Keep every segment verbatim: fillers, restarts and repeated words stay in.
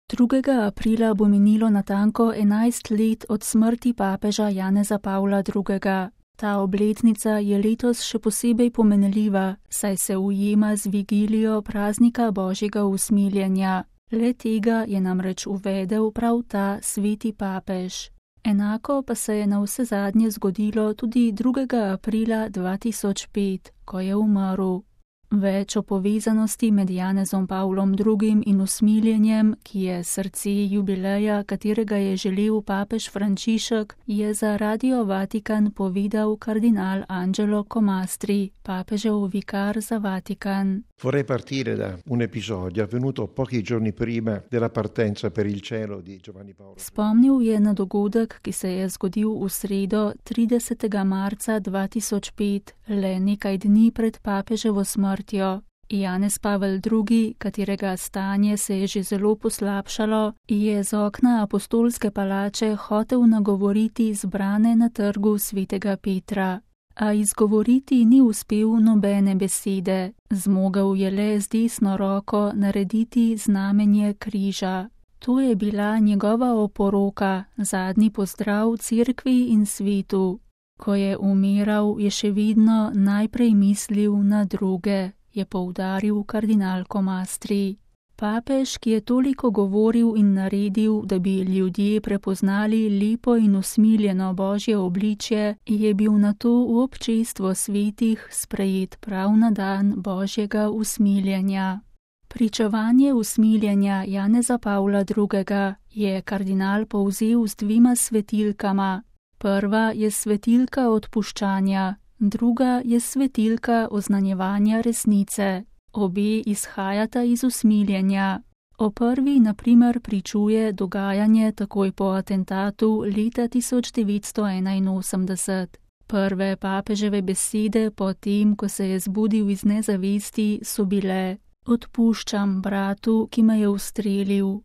drugega aprila bo minilo natanko enajst let od smrti papeža Janeza Pavla drugega. Ta obletnica je letos še posebej pomenljiva, saj se ujema z vigilijo praznika Božjega usmiljenja. Le tega je namreč uvedel prav ta sveti papež. Enako pa se je navsezadnje zgodilo tudi drugega aprila dva tisoč pet, ko je umrl. Več o povezanosti med Janezom Pavlom drugim in usmiljenjem, ki je srce jubileja, katerega je želel papež Frančišek, je za Radio Vatikan povedal kardinal Angelo Comastri, papežev vikar za Vatikan. Vorrei partire da un episodio avvenuto pochi giorni prima della partenza per il cielo di Giovanni Paolo. Spomnil je na dogodek, ki se je zgodil v sredo tridesetega marca dva tisoč pet, le nekaj dni pred papeževo smrtjo. Janez Pavel drugi, katerega stanje se je že zelo poslabšalo, je z okna apostolske palače hotel nagovoriti zbrane na trgu svetega Petra. A izgovoriti ni uspel nobene besede, zmogel je le z desno roko narediti znamenje križa. To je bila njegova oporoka, zadnji pozdrav cerkvi in svetu. Ko je umiral, je še vedno najprej mislil na druge, je poudaril kardinal Comastri. Papež, ki je toliko govoril in naredil, da bi ljudje prepoznali lepo in usmiljeno Božje obličje, je bil nato v občestvo svetih sprejet prav na dan Božjega usmiljenja. Pričevanje usmiljenja Janeza Pavla drugega je kardinal povzel z dvima svetilkama. Prva je svetilka odpuščanja, druga je svetilka oznanjevanja resnice. Obe izhajata iz usmiljenja. O prvi, na primer, pričuje dogajanje takoj po atentatu leta tisoč devetsto enainosemdeset. Prve papeževe besede po tem, ko se je zbudil iz nezavesti, so bile: odpuščam bratu, ki me je ustrelil.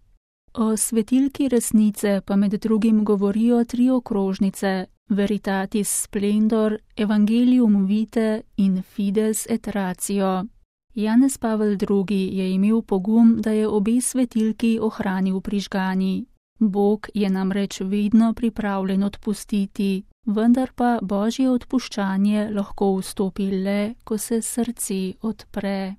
O svetilki resnice pa med drugim govorijo tri okrožnice: Veritatis Splendor, Evangelium Vitae in Fides et Ratio. Janez Pavel drugi je imel pogum, da je obe svetilki ohranil prižgani. Bog je namreč vedno pripravljen odpustiti, vendar pa Božje odpuščanje lahko vstopi le, ko se srce odpre.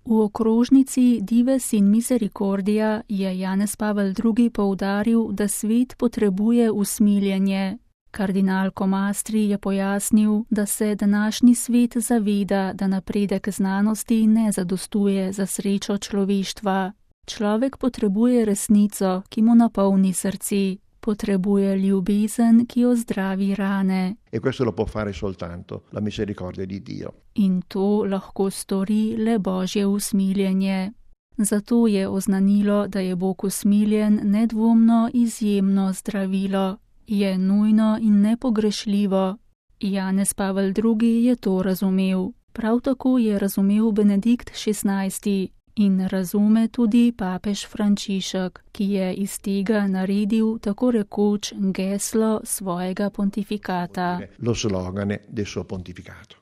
V okrožnici Dives in Misericordia je Janez Pavel drugi poudaril, da svet potrebuje usmiljenje. Kardinal Comastri je pojasnil, da se današnji svet zaveda, da napredek znanosti ne zadostuje za srečo človeštva. Človek potrebuje resnico, ki mu napolni srce, potrebuje ljubezen, ki ozdravi rane. E questo lo può fare soltanto la misericordia di Dio. In to lahko stori le Božje usmiljenje. Zato je oznanilo, da je Bog usmiljen nedvomno izjemno zdravilo. Je nujno in nepogrešljivo. Janez Pavel drugi je to razumel. Prav tako je razumel Benedikt šestnajsti in razume tudi papež Frančišek, ki je iz tega naredil tako rekoč geslo svojega pontifikata. Lo slogane del suo pontificato.